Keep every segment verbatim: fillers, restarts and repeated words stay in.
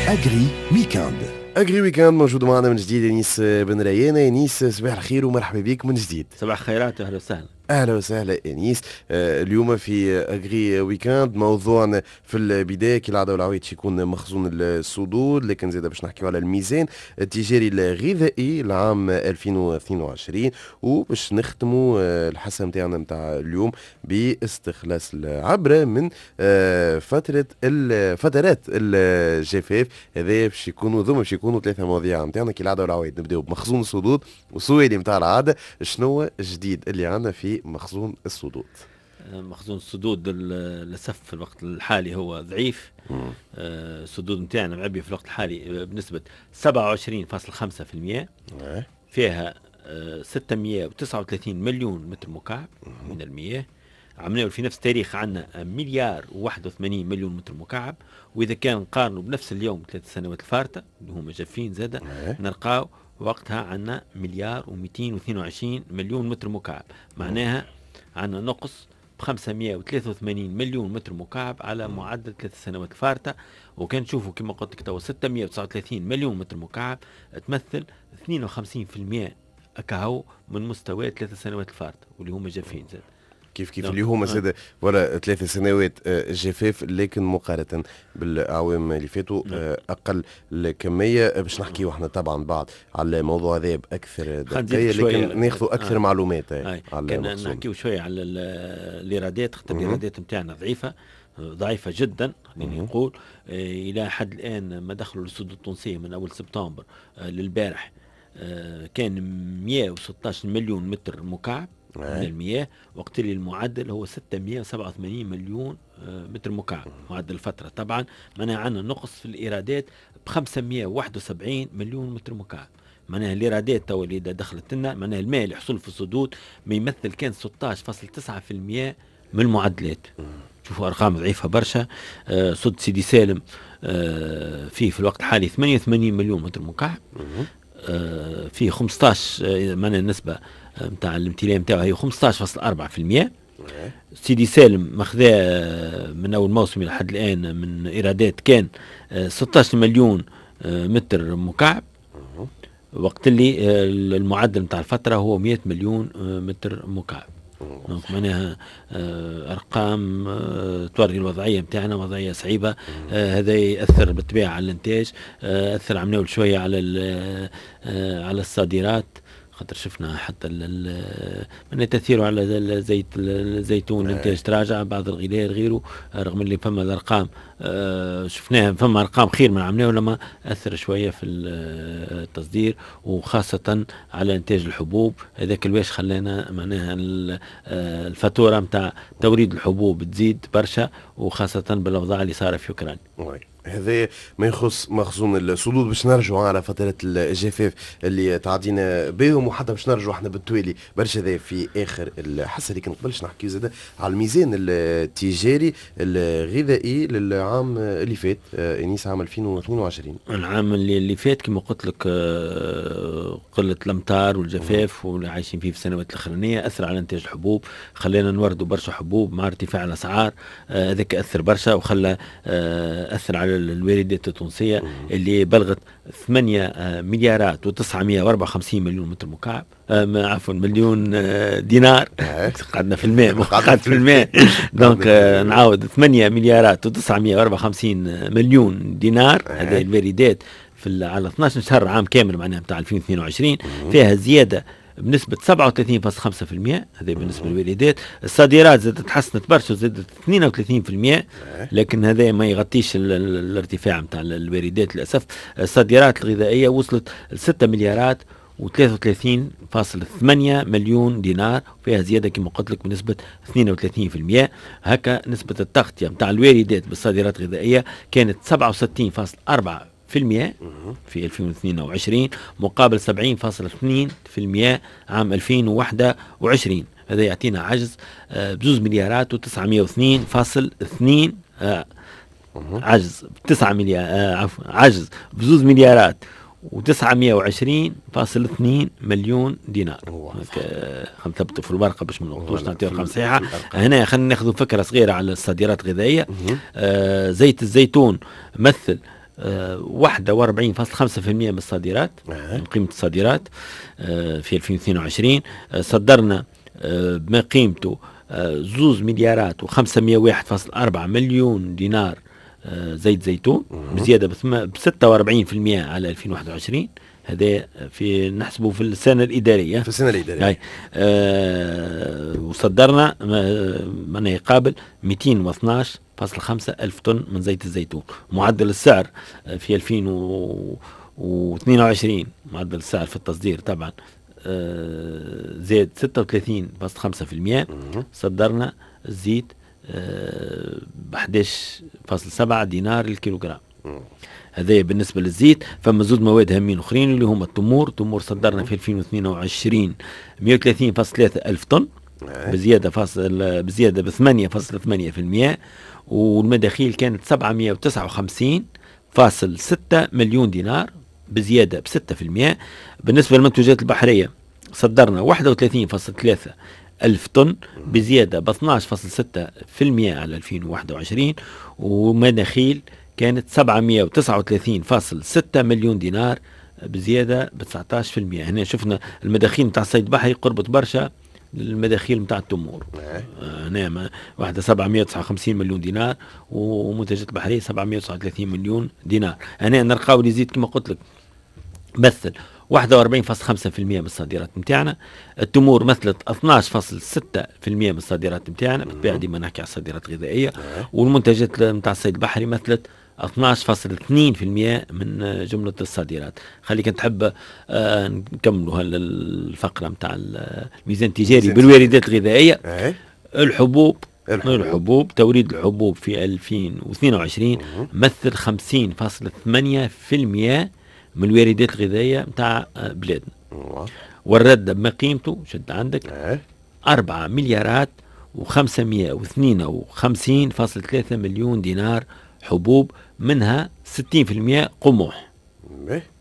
Agri Weekend. Agri Weekend موجود معنا من جديد انيس بن ريانه. انيس، صباح الخير ومرحبا بك من جديد. صباح الخيرات، اهلا وسهلا. اهلا وسهلا انيس. آه، اليوم في Agri Weekend موضوعنا في البداية كالعادة والعوايد يكون مخزون السدود، لكن زاد باش نحكيو على الميزان التجاري الغذائي لعام ألفين واثنين وعشرين، وباش نختموا آه، الحصة نتاعنا نتاع اليوم باستخلاص العبرة من آه، فترة فترات الجفاف. هذا باش يكونوا ذوما باش يكونوا ثلاثة مواضيع نتاعنا كالعادة والعوايد. نبداو بمخزون السدود وسؤالي نتاع العاده: شنو الجديد اللي عندنا في مخزون السدود؟ مخزون السدود للاسف في الوقت الحالي هو ضعيف. آه، السدود نتاعنا معبيه في الوقت الحالي بنسبة سبعة وعشرين فاصل خمسة في المية، فيها ستمية وتسعة وثلاثين مليون متر مكعب من المياه. عملنا في نفس التاريخ عندنا مليار وواحد وثمانين مليون متر مكعب، واذا كان نقارنوا بنفس اليوم ثلاث سنوات الفارطه اللي هما جافين زاده، نلقاو وقتها عندنا مليار ومئتين واثنين وعشرين مليون متر مكعب. معناها عندنا نقص ب خمسمية وثلاثة وثمانين مليون متر مكعب على معدل ثلاث سنوات الفارطة. وكان تشوفوا كما قلت لك تو ستمية وتسعة وثلاثين مليون متر مكعب تمثل اثنين وخمسين في المية اكاهو من مستوى ثلاث سنوات الفارطة واللي هما جافين زاد. كيف كيف، اللي هما زاد voilà ثلاث سنوات آه، جفاف، لكن مقارنة بالاعوام اللي فاتوا نعم. آه، اقل الكميه. باش نحكيو احنا طبعا بعد على الموضوع هذا باكثر دقيقه، لكن ناخذوا اكثر آه. معلومات. آه. على كان نحكيو شوية على الايرادات، خاطر الايرادات نتاعنا ضعيفه، ضعيفة جدا خليني نقول. الى حد الان ما دخلوا للسدود التونسية من اول سبتمبر للبارح كان مية وستاش مليون متر مكعب من المياه، وقت اللي المعدل هو ستمية وسبعة وثمانين مليون آه، متر مكعب معدل الفترة طبعا. معناها عندنا نقص في الإيرادات ب خمسمية وواحد وسبعين مليون متر مكعب. معناها الايرادات تو اللي دخلت لنا، معناها الماء اللي حصل في السدود ما يمثل كان ستاش فاصل تسعة في المية من المعدلات. شوفوا ارقام ضعيفة برشا. آه سد سيدي سالم آه فيه في الوقت الحالي ثمانية وثمانين مليون متر مكعب، آه فيه خمستاش، آه معناها النسبة نتاع الامتلاء نتاعو هي خمستاش فاصل أربعة في المية. سيدي سالم ماخذاه من اول موسم الى حد الان من ايرادات كان ستاش مليون متر مكعب، وقت اللي المعدل نتاع الفترة هو مية مليون متر مكعب. donc معناها ارقام توري الوضعية نتاعنا وضعية صعيبه. هذا ياثر بالطبيعة على الانتاج، اثر عملنا شوية على على الصادرات، خاطر شفنا حتى من تاثيره على زيت الزيتون، الانتاج تراجع، بعض الغلال غيره، رغم اللي فما الارقام آه، شفناها فما ارقام خير من عملناه، لما اثر شوية في التصدير وخاصة على انتاج الحبوب. هذاك الواش خلانا معناها آه، الفاتورة نتاع توريد الحبوب تزيد برشا، وخاصة بالاوضاع اللي صار في اوكرانيا. هذا ما يخص مخزون السدود. باش نرجعوا على فترة الجفاف اللي تعدينا بهم، وحتى باش نرجعوا احنا بالتوالي برشا، هذا في اخر الحصه، لكن قبلش نحكي زاد على الميزان التجاري الغذائي للعام اللي فات، آه، انيس، عام ألفين واثنين وعشرين. العام اللي, اللي فات كما قلت لك آه، قلة الامطار والجفاف واللي عايشين فيه في السنوات الاخرانية اثر على انتاج الحبوب، خلينا نوردوا برشا حبوب مع ارتفاع الاسعار. آه، هذاك اثر برشا وخلى اثر على الواردات التونسية اللي بلغت ثمانية مليارات وتسعمية وأربعة وخمسين مليون متر مكعب، آه عفوا، مليون آه دينار. قعدنا في الماء، قعدت في الماء. donc آه نعاود: ثمانية مليارات وتسعمية وأربعة وخمسين مليون دينار. هذه الواردات في على اثناش شهر، عام كامل معناها بتاع ألفين واثنين وعشرين، فيها زيادة بنسبة سبعة وثلاثين فاصل خمسة في المية. هذا بالنسبة للواردات. الصادرات زادت تحسنت برشا، زادت اثنين وثلاثين في المية، لكن هذا ما يغطيش الارتفاع نتاع الواردات للأسف. الصادرات الغذائية وصلت ل ستة مليارات وثلاثة وثلاثين فاصل ثمانية مليون دينار، فيها زيادة كما قلت لك بنسبة اثنين وثلاثين في المية. هكا نسبة التغطية نتاع الواردات بالصادرات الغذائية كانت سبعة وستين فاصل أربعة في المية في ألفين واثنين وعشرين مقابل سبعين فاصل اثنين في المية عام ألفين وواحد وعشرين. هذا يعطينا عجز آه، بزوز مليارات وتسعمية واثنين فاصل اثنين، آه، عجز بتسعة مليار، آه، عفوا، عجز بزوز مليارات وتسعمية وعشرين فاصل اثنين مليون دينار. خلينا نثبتوا في الورقة باش ما نغلطوش، نعطيو ارقام صحيحه. هنا خلينا ناخذ فكرة صغيرة على الصادرات الغذائيه. آه زيت الزيتون مثل واحد وأربعين فاصلة خمسة بالمئة من الصادرات، من قيمة الصادرات في ألفين واثنين وعشرين. صدرنا بما قيمته زوز مليارات وخمسمائة وواحد فاصل أربعة مليون دينار زيت زيتون، بزيادة ب ستة وأربعين بالمئة على ألفين وواحد وعشرين. هذا في نحسبه في السنة الإدارية، في السنة الإدارية. آه وصدرنا ما يقابل مئتين واثناش فاصل خمسة ألف طن من زيت الزيتون. معدل السعر في ألفين واثنين وعشرين، معدل السعر في التصدير طبعا آه زاد ستة وثلاثين فاصل خمسة بالمئة. صدرنا الزيت آه ب أحد عشر فاصل سبعة دينار الكيلوغرام. هذا بالنسبة للزيت. فما زوج مواد هامين اخرين اللي هما التمور. التمور صدرنا في ألفين واثنين وعشرين مئة وثلاثين فاصل ثلاثة ألف طن، بزيادة فاصل بزيادة ب ثمانية فاصل ثمانية بالمئة، والمداخيل كانت سبعمئة وتسعة وخمسين فاصل ستة مليون دينار، بزيادة ب ستة بالمئة. بالنسبة للمنتوجات البحرية صدرنا واحد وثلاثين فاصل ثلاثة ألف طن، بزيادة ب اثناش فاصل ستة بالمئة على ألفين وواحد وعشرين، ومداخيل كانت سبعمئة وتسعة وثلاثين فاصل ستة مليون دينار، بزيادة ب تسعة عشر بالمئة. هنا شفنا المداخيل نتاع الصيد البحري قربت برشا للمداخيل نتاع التمور. هنا واحدة سبعمئة وتسعة وخمسين مليون دينار، ومنتجات البحرية سبعمئة وتسعة وثلاثين مليون دينار. هنا نلقاو اللي يزيد كما قلت لك مثل واحد وأربعين فاصل خمسة بالمئة من الصادرات نتاعنا. التمور مثلت اثناش فاصل ستة بالمئة من الصادرات نتاعنا، بالطبيعة ديما نحكي على الصادرات الغذائية. والمنتجات نتاع الصيد البحري مثلت اثناش فاصل اثنين بالمئة من جملة الصادرات. خليك تحب آه نكملوا هالفقرة نتاع الميزان التجاري بالواردات الغذائية. الحبوب، الحبوب الحبوب توريد الحبوب في ألفين واثنين وعشرين مثل خمسين فاصل ثمانية بالمئة من الواردات الغذائية نتاع بلادنا. والرد بما قيمته شد عندك أربعة مليارات وخمسمائة واثنين وخمسين فاصل ثلاثة مليون دينار حبوب، منها ستين بالمئة قمح.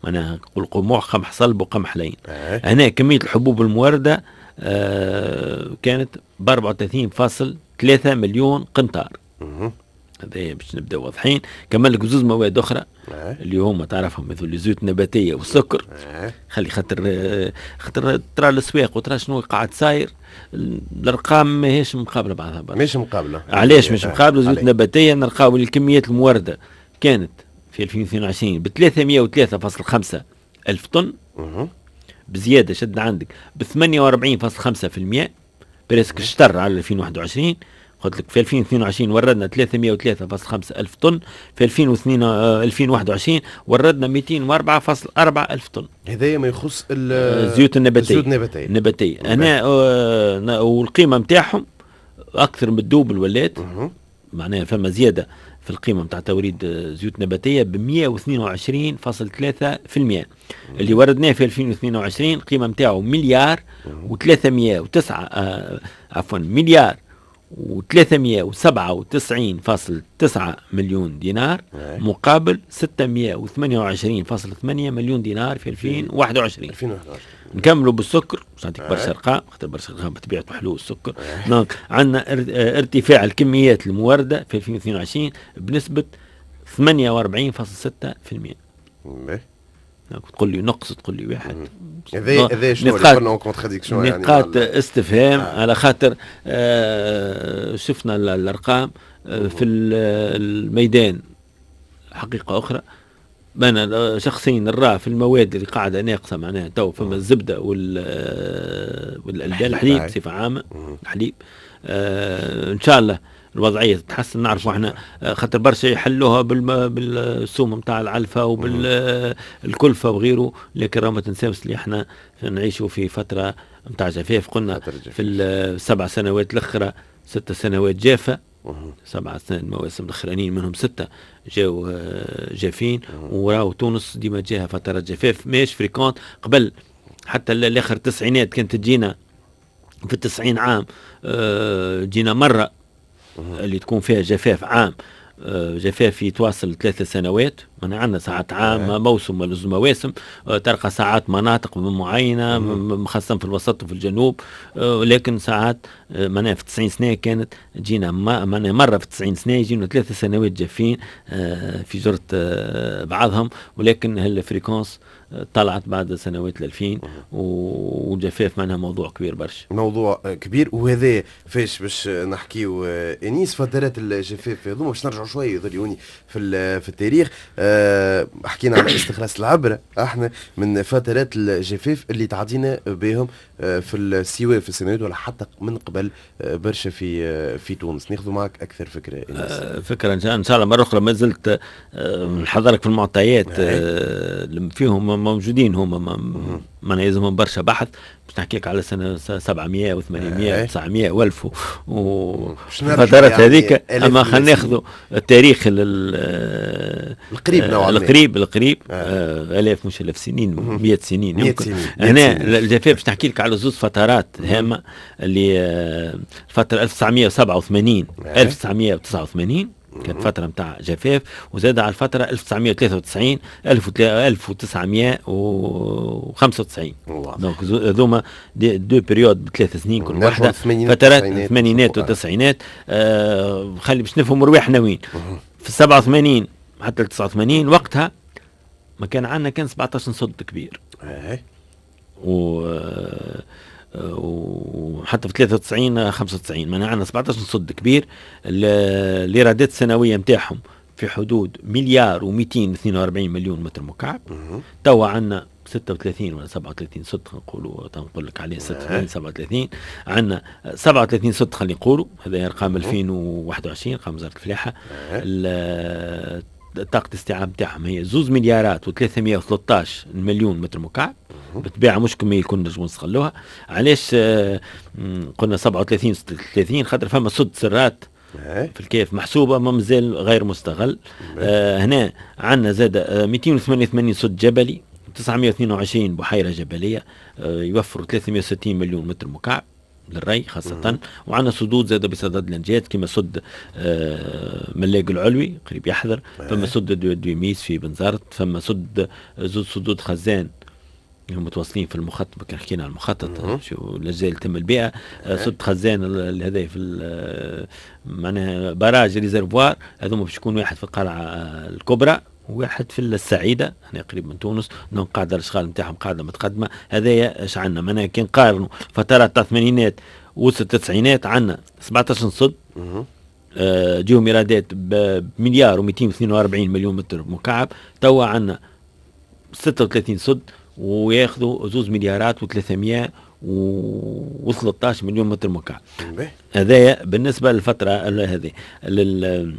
معناها نقول قمح، قمح صلب وقمح لين. هنا كمية الحبوب الموردة آه كانت ب أربعة وثلاثين فاصل ثلاثة مليون قنطار. هذا باش نبداو واضحين. كمل لك زوز مواد اخرى اللي هما تعرفهم مثل الزيوت النباتية والسكر. خلي خاطر خاطر ترى الاسواق وترى شنو قاعد صاير، الارقام ماهيش مقابله بعضها برشا. مش مقابله. علاش مش مقابله؟ الزيوت النباتية نلقاو الكميات المورده كانت في ألفين واثنين وعشرين ب ثلاثمئة وثلاثة فاصل خمسة ألف طن، بزيادة شد عندك ب ثمانية وأربعين فاصل خمسة بالمئة، presque الشطر على ألفين وواحد وعشرين. قلت لك في ألفين واثنين وعشرين وردنا ثلاثمئة وثلاثة فاصل خمسة ألف طن، في ألفين وواحد وعشرين وردنا مئتين وأربعة فاصل أربعة ألف طن. هذايا ما يخص الزيوت النباتية. الزيوت النباتية النباتية أنا آه والقيمة نتاعهم أكثر من ال double ولات، معناها فما زيادة في القيمة نتاع توريد زيوت نباتية ب مئة واثنين وعشرين فاصل ثلاثة بالمئة. اللي وردناه في ألفين واثنين وعشرين القيمة نتاعو مليار وثلاثمئة وتسعة آه عفوا مليار وثلاثمئة وسبعة وتسعين فاصل تسعة مليون دينار، مقابل ستمئة وثمانية وعشرين فاصل ثمانية مليون دينار في ألفين وواحد وعشرين. نكملوا بالسكر باش نعطيك برشا ارقام، خاطر برشا ارقام بطبيعته حلو السكر. donc عندنا ارتفاع الكميات المورده في ألفين واثنين وعشرين بنسبة ثمانية وأربعين فاصل ستة بالمئة. تقول لي نقص، تقول لي واحد. هذا هذا شنو اللي contradiction يعني نقاط استفهام. آه. على خاطر آه شفنا الارقام آه في الميدان حقيقة اخرى. انا شخصيا نرى في المواد اللي قاعدة ناقصه، معناها تو فما الزبدة وال والالبان، الحليب بصفة عامة، الحليب آه ان شاء الله الوضعية تتحسن. نعرفوا احنا خاطر برشا يحلوها بالسوم نتاع العلفه وبالكلفه وغيره، لكن راه ما تنساوش اللي احنا نعيشوا في فترة نتاع جفاف. قلنا في السبع سنوات الاخرى ست سنوات جافة، سبع سنوات المواسم الاخرانيين منهم ستة جاو جافين، وراو تونس ديما جاها فترات جفاف ماهيش fréquentes. قبل حتى الاخر التسعينات كانت تجينا في التسعين عام جينا مرة اللي تكون فيها جفاف عام. جفاف يتواصل ثلاثة سنوات، معناها عندنا ساعات عام موسم ولا زوج مواسم، تلقى ساعات مناطق معينة خاصة في الوسط وفي الجنوب، لكن ساعات معناها في تسعين سنة كانت تجينا معناها مرة في تسعين سنة يجينا ثلاثة سنوات جافين في جرة بعضهم، ولكن هال fréquence طلعت بعد سنوات الألفين، والجفاف معناها موضوع كبير برشا. موضوع كبير، وهذا فاش باش نحكيو انيس فترات الجفاف هذوما. باش نرجعوا شوية يظهر في في التاريخ. أه حكينا على استخلاص العبرة احنا من فترات الجفاف اللي تعدينا بهم في السواء في السنوات ولا حتى من قبل برشا في في تونس. ناخذ معك اكثر فكرة انيس. أه فكرة ان شاء الله مرة اخرى، ما زلت نحضرك في المعطيات أه فيهم موجودين هما، ما يلزمهم برشا بحث باش نحكيك على سنة سبعمية وثمانمية وتسعمية وألف وفترات هذيك. اما خلينا ناخذوا التاريخ القريب نوعا ما، القريب القريب آه. الاف مش الاف سنين، مئة سنين يمكن. هنا الجفاف باش نحكي لك على زوج فترات هامة، اللي الفترة ألف وتسعمية وسبعة وثمانين ألف وتسعمية وتسعة وثمانين كانت فترة نتاع جفاف، وزاد على الفترة ألف وتسعمية وثلاثة وتسعين ألف وتسعمية وخمسة وتسعين. donc هذوما des deux périodes بثلاث سنين كل واحدة، فترات الثمانينات والتسعينات. آه خلي باش نفهموا رواحنا وين. في سبعة وثمانين حتى تسعة وثمانين وقتها ما كان عندنا كان سبعطاش سد كبير. و وحتى في ثلاثة وتسعين خمسة وتسعين معناها عندنا سبعطاش سد كبير، الايرادات السنوية نتاعهم في حدود مليار ومئتين واثنين وأربعين مليون متر مكعب. توا عندنا ستة وثلاثين ولا سبعة وثلاثين سد، نقولوا نقول لك عليه ستة وثلاثين سبعة وثلاثين، عندنا سبعة وثلاثين سد خلينا نقولوا، هذا ارقام ألفين وواحد وعشرين ارقام وزارة الفلاحة. طاقة الاستيعاب نتاعهم هي زوز مليارات وثلاثمية وثلاثطاش مليون متر مكعب. بالطبيعة مش كمية الكل نجمو نستغلوها. علاش قلنا سبعة وثلاثين ستة وثلاثين؟ خاطر فما سد سرات في الكيف محسوبة ما مازال غير مستغل. آه هنا عندنا زاد مئتين وثمانية وثمانين سد جبلي، تسعمية واثنين وعشرين بحيرة جبلية، آه يوفروا ثلاثمية وستين مليون متر مكعب للري خاصة. وعندنا سدود زاد بصدد الانجاز كما سد آه ملاق العلوي قريب يحضر، فما سد دويميس في بنزرت، فما سد زوج سدود خزان متواصلين في المخطط، كان حكينا على المخطط شو الاجزاء اللي تم البيئة. سد خزان هذا في معناها barrage réservoir، هذوما باش يكون واحد في القلعة الكبرى وواحد في السعيدة هنا قريب من تونس. donc قاعدة الاشغال نتاعهم قاعدة متقدمة. هذايا اش عندنا معناها كي نقارنوا فترات تاع الثمانينات والتسعينات عندنا سبعطاش سد آه جيهم ايرادات بمليار ومئتين واثنين وأربعين مليون متر مكعب. توا عندنا ستة وثلاثين سد وياخذوا زوز مليارات وثلاثمية وثلاثطاش مليون متر مكعب. هذايا بالنسبة للفترة هذه لل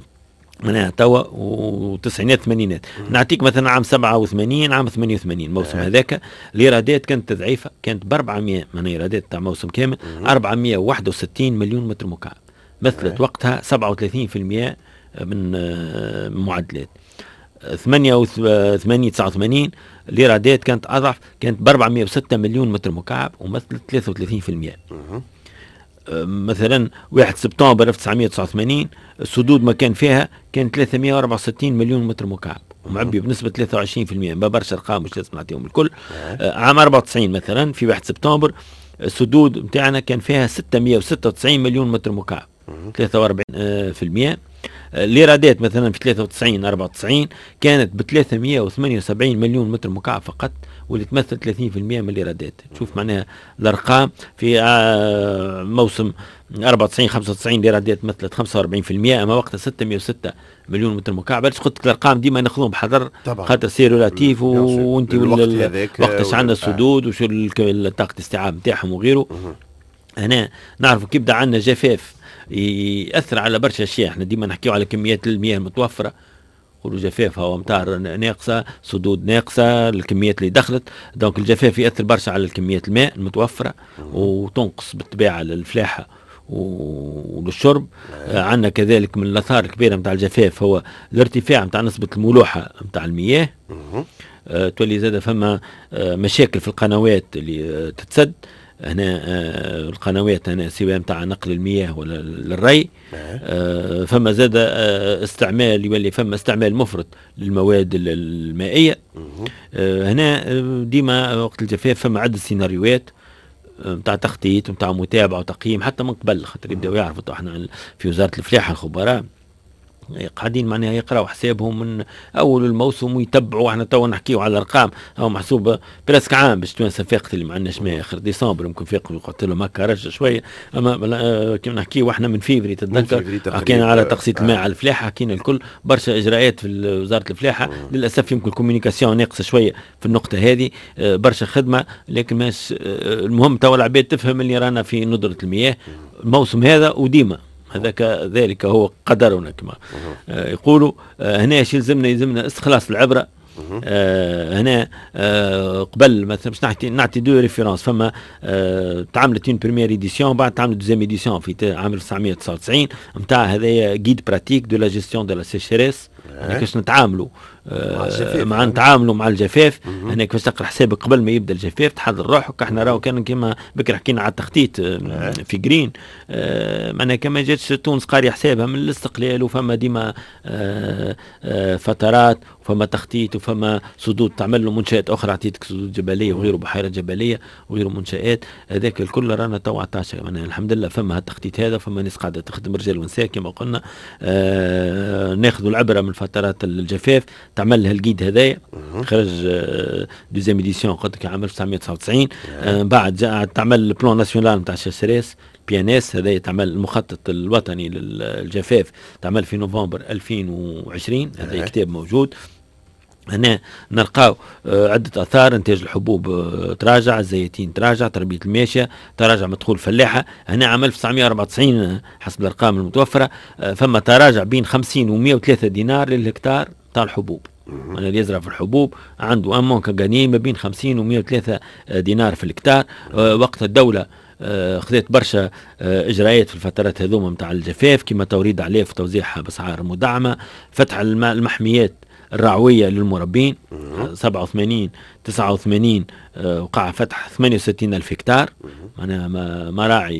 معناها توا وتسعينات ثمانينات. نعطيك مثلا عام سبعة وثمانين عام ثمانية وثمانين الموسم هذاك الايرادات كانت ضعيفة، كانت ب أربعمية معناها ايرادات تاع موسم كامل أربعمية وواحد وستين مليون متر مكعب، مثلت وقتها سبعة وثلاثين بالمية من معدلات. ثمانية وثمانين تسعة وثمانين الايرادات كانت اضعف، كانت ب أربعمية وستة مليون متر مكعب ومثلت ثلاثة وثلاثين بالمية. مثلا واحد سبتمبر ألف وتسعمية وتسعة وثمانين السدود ما كان فيها كان ثلاثمية وأربعة وستين مليون متر مكعب ومعبي بنسبة ثلاثة وعشرين بالمية. ما برشا ارقام مش لازم نعطيهم الكل. عام أربعة وتسعين مثلا في واحد سبتمبر السدود نتاعنا كان فيها ستمية وستة وتسعين مليون متر مكعب ثلاثة وأربعين بالمية. الايرادات مثلا في ثلاثة وتسعين أربعة وتسعين كانت ب ثلاثمية وثمانية وسبعين مليون متر مكعب فقط، واللي تمثل ثلاثين بالمية من الايرادات. تشوف معناها الارقام في موسم أربعة وتسعين خمسة وتسعين الايرادات مثلت خمسة وأربعين بالمية، اما وقتها ستمية وستة مليون متر مكعب. علاش قلت لك الارقام ديما ناخذهم بحذر خاطر c'est relatif، وانت وقتاش عندنا السدود وشو طاقة الاستيعاب نتاعهم وغيره. هنا نعرفوا كي بدا عندنا جفاف يأثر على برشا اشياء. احنا ديما نحكيو على كميات المياه المتوفرة، نقولوا جفاف هو امطار ناقصه، سدود ناقصه، الكميات اللي دخلت. donc الجفاف يأثر برشا على الكميات الماء المتوفرة وتنقص بالطبيعة للفلاحه وللشرب. عندنا كذلك من الاثار الكبيرة نتاع الجفاف هو الارتفاع نتاع نسبه الملوحه نتاع المياه. أه تولي زاد فما مشاكل في القنوات اللي تتسد. هنا آه القنوات هنا سواء نتاع نقل المياه ولا للري. آه فما زاد آه استعمال، يولي فما استعمال مفرط للمواد المائيه. آه هنا ديما وقت الجفاف فما عده سيناريوهات نتاع تخطيط نتاع متابعه وتقييم حتى من قبل، خاطر يبداو يعرفوا. احنا في وزارة الفلاحة الخبراء قاعدين معناها يقراوا حسابهم من اول الموسم ويتبعوا. احنا توا نحكيو على الارقام هو محسوب presque عام باش توانسة فاقت اللي ما عندناش ماء. اخر ديسمبر يمكن فاقوا، قلت لهم هكا رجع شويه، اما كيما نحكيو احنا من فيفري، تتذكر حكينا على تقسيط الماء على الفلاحه، حكينا الكل برشا اجراءات في وزارة الفلاحه. للاسف يمكن ال communication ناقصه شوية في النقطة هذه، آه، برشا خدمه، لكن ماش آه، المهم توا العباد تفهم اللي رانا في ندره المياه الموسم هذا وديما هذاك ذلك هو قدرنا كما آه، يقولوا. آه، هنا ايش يلزمنا؟ يلزمنا استخلاص العبره. آه هنا آه قبل مثلا باش نعطي نعطي deux références، فما آه تعملت une première édition، بعد تعملت deuxième édition في عام ألف وتسعمية وتسعة وتسعين نتاع هذايا guide pratique de la gestion de la sécheresse، يعني كيفاش نتعاملوا آه مع نتعاملوا مع الجفاف. هنا كيفاش تقرا حسابك قبل ما يبدا الجفاف، تحضر روحك. احنا راهو كان كيما بكري حكينا على التخطيط آه في جرين، آه معناها كما جاتش تونس قاري حسابها من الاستقلال، وفما ديما آه آه فترات وفما تخطيط وفما سدود تعمل له منشات اخرى، عطيتك سدود جبلية وغيره، بحيرات جبلية وغيره منشات، هذاك الكل رانا تو عطاش. معناها الحمد لله فما التخطيط هذا، فما ناس قاعدة تخدم رجال ونساء كما قلنا. آه ناخذ العبرة من فترات الجفاف، تعمل لها ال guide هذايا خرج deuxième édition قلت لك عام ألف وتسعمية وتسعة وتسعين. آه بعد جاء تعمل ال plan national نتاع sécheresse PNS، هذا تعمل المخطط الوطني للجفاف، تعمل في نوفمبر ألفين وعشرين، هذا كتاب موجود. هنا نلقاو آه، عدة آثار: إنتاج الحبوب آه، تراجع، الزيتين تراجع، تربية الماشية تراجع، مدخول الفلاحة. هنا عام ألف وتسعمية وأربعة وتسعين آه، حسب الأرقام المتوفرة فما تراجع بين خمسين و مية وثلاثة دينار للهكتار تاع الحبوب. معناها اللي يزرع في الحبوب عنده un manque à gagner ما بين خمسين و مية وثلاثة دينار في الهكتار. وقت الدولة خذت برشا اجراءات في الفترات هذوما نتاع الجفاف، كما توريد اعلاف وتوزيعها باسعار مدعمه، فتح المحميات الرعوية للمربين. سبعة وثمانين تسعة وثمانين آه، وقع فتح ثمانية وستين ألف هكتار، معناها مراعي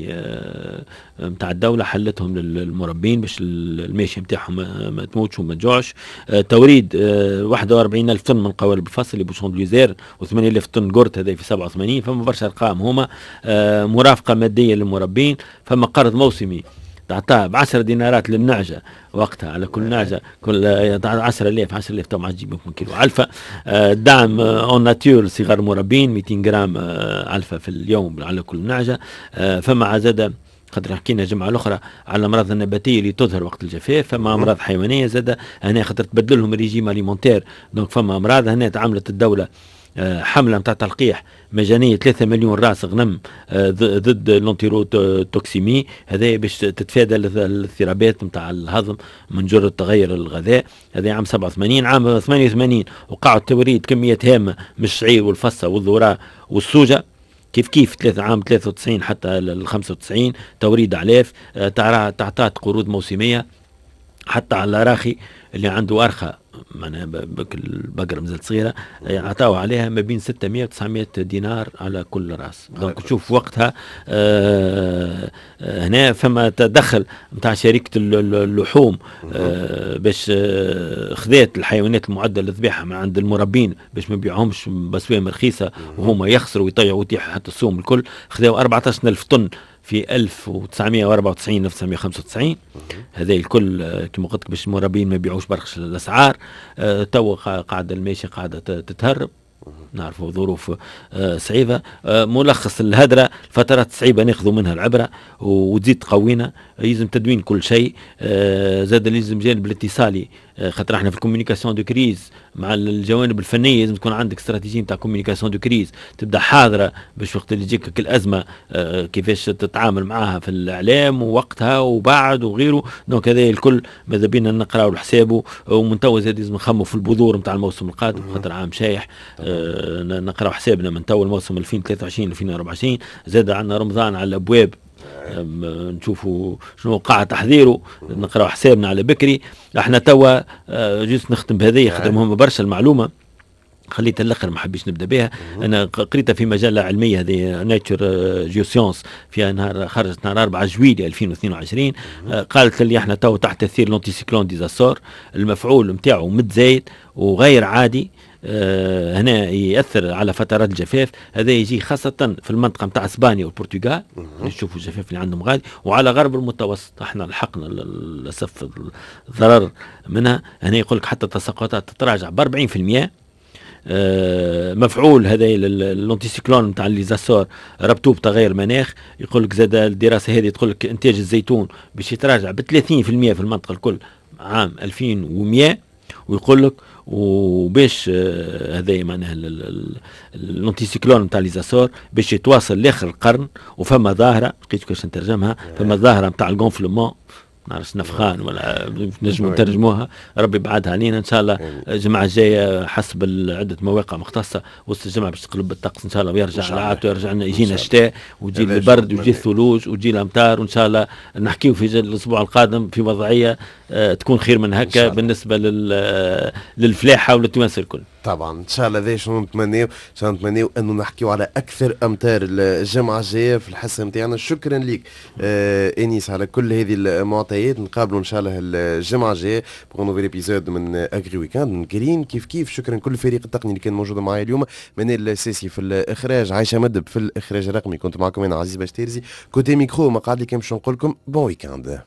نتاع آه، الدولة حلتهم للمربين باش الماشية نتاعهم ما تموتش وما تجوعش. آه، توريد واحد وأربعين ألف طن من قوالب الفصل les bouchons de luzerne وثمانية آلاف طن قرط، هذا في سبعة وثمانين. فما برشا ارقام هما. مرافقة مادية للمربين، فما قرض موسمي تعطاه ب عشرة دينارات للنعجة وقتها، على كل نعجة كل عشرة آلاف، عشرة آلاف تو ما عادش تجيب يمكن كيلو علفة. آه، دعم en nature صغار المربين، ميتين جرام آه، علفة في اليوم على كل نعجة. آه، فما زاد خاطر حكينا الجمعة الاخرى على الامراض النباتية اللي تظهر وقت الجفاف، فما امراض حيوانية زاد هنا خاطر تبدل لهم ال régime alimentaire، donc فما امراض. هنا تعاملت الدولة آه، حملة نتاع تلقيح مجانية ثلاثة مليون راس غنم آه، ضد l'entérotoxémie، هذا باش تتفادى الاضطرابات نتاع الهضم من جرة تغير الغذاء، هذا عام سبعة وثمانين. عام ثمانية وثمانين وقعوا توريد كميات هامة من الشعير والفصة والذرة والسوجة. كيف كيف ثلاثة عام ثلاثة وتسعين حتى ال خمسة وتسعين توريد اعلاف، آه، تعطات قروض موسميه حتى على الأراخي، اللي عنده أرخة معناها البقرة مازالت صغيرة عطاو عليها ما بين ستمية و تسعمية دينار على كل راس. donc تشوف وقتها آه هنا فما تدخل نتاع شركة اللحوم آه باش آه خذات الحيوانات المعدة للذبيحة من عند المربين باش ما يبيعهمش باسوام رخيصة وهما يخسروا ويطيعوا ويطيحوا حتى السوم الكل. خذاو أربعطاش ألف طن في ألف وتسعمية وأربعة وتسعين ألف وتسعمية وخمسة وتسعين، هذا الكل آه، كما قلت لك باش المربين ما يبيعوش برخص الاسعار. آه، تو قاعدة الماشية قاعدة تتهرب، نعرفوا ظروف آه، صعيبة. ملخص الهدرة، الفترات الصعيبة ناخذوا منها العبرة وتزيد تقوينا. يلزم تدوين كل شيء، زاد لازم جانب الاتصالي، خاطر احنا في ال communication de crise مع الجوانب الفنيه. لازم تكون عندك استراتيجية نتاع communication de crise تبدا حاضره باش وقت اللي تجيك الازمة آه، كيفاش تتعامل معاها في الاعلام ووقتها وبعد وغيره. donc هذا الكل ماذا بينا نقراو حسابه، ومن توا زاد لازم نخموا في البذور نتاع الموسم القادم، خاطر عام شايح. آه، نقراو حسابنا من تو الموسم ألفين وثلاثة وعشرين ألفين وأربعة وعشرين. زاد عندنا رمضان على الابواب، نشوفوا شنو وقع تحضيره، نقراو حسابنا على بكري. احنا توا آه، juste نختم بهذه خاطر مهمة برشا المعلومه. خليت الاخر، ما حبيش نبدا بها. انا قريتها في مجلة علمية هذه Nature Geoscience، فيها نهار خرجت نهار أربعة جويلية ألفين واثنين وعشرين. آه، قالت اللي احنا تو تحت تاثير l'anticyclone des Açores، المفعول نتاعو متزايد وغير عادي. آه هنا ياثر على فترات الجفاف. هذا يجي خاصة في المنطقة نتاع اسبانيا والبرتغال، نشوفوا الجفاف اللي عندهم غادي، وعلى غرب المتوسط. احنا لحقنا للاسف الضرر منها. هنا يقول لك حتى التساقطات تتراجع ب أربعين في المية. آه، مفعول هذا l'anticyclone نتاع les Açores ربطوه بتغير المناخ. يقول لك زاد الدراسة هذه تقول لك انتاج الزيتون باش يتراجع ب ثلاثين في المية في المنطقة الكل عام ألفين ومية. ويقول لك وباش آه، هذا معناها l'anticyclone نتاع les Açores باش يتواصل لاخر القرن. وفما ظاهره لقيت كيفاش نترجمها، فما ظاهره نتاع ال gonflement، نعرفش نفخان ولا نجموا نترجموها، ربي يبعدها علينا. ان شاء الله الجمعة الجاية حسب عده مواقع مختصة وسط الجمعة باش تقلب الطقس ان شاء الله ويرجع العادة ويرجع لنا، يجينا الشتاء وتجي البرد ويجي الثلوج وتجي الامطار، وان شاء الله نحكيو في الاسبوع القادم في وضعية آه، تكون خير من هكا بالنسبة للفلاحه وللتوانسه الكل. طبعا ان شاء الله هذا شنو نتمناو. ان شاء الله نتمناو انه نحكيو على اكثر امتار الجمعة الجاية في الحصة نتاعنا. شكرا لك آه انيس على كل هذه المعطيات. نقابلوا ان شاء الله الجمعة الجاية pour nouvel épisode من Agri Weekend. كريم كيف كيف، شكرا كل الفريق التقني اللي كان موجود معي اليوم، منال الساسي في الاخراج، عايشه مدب في الاخراج الرقمي. كنت معكم انا عزيز باشتيرزي côté micro. ما قعد لي كان باش نقول لكم bon week-end.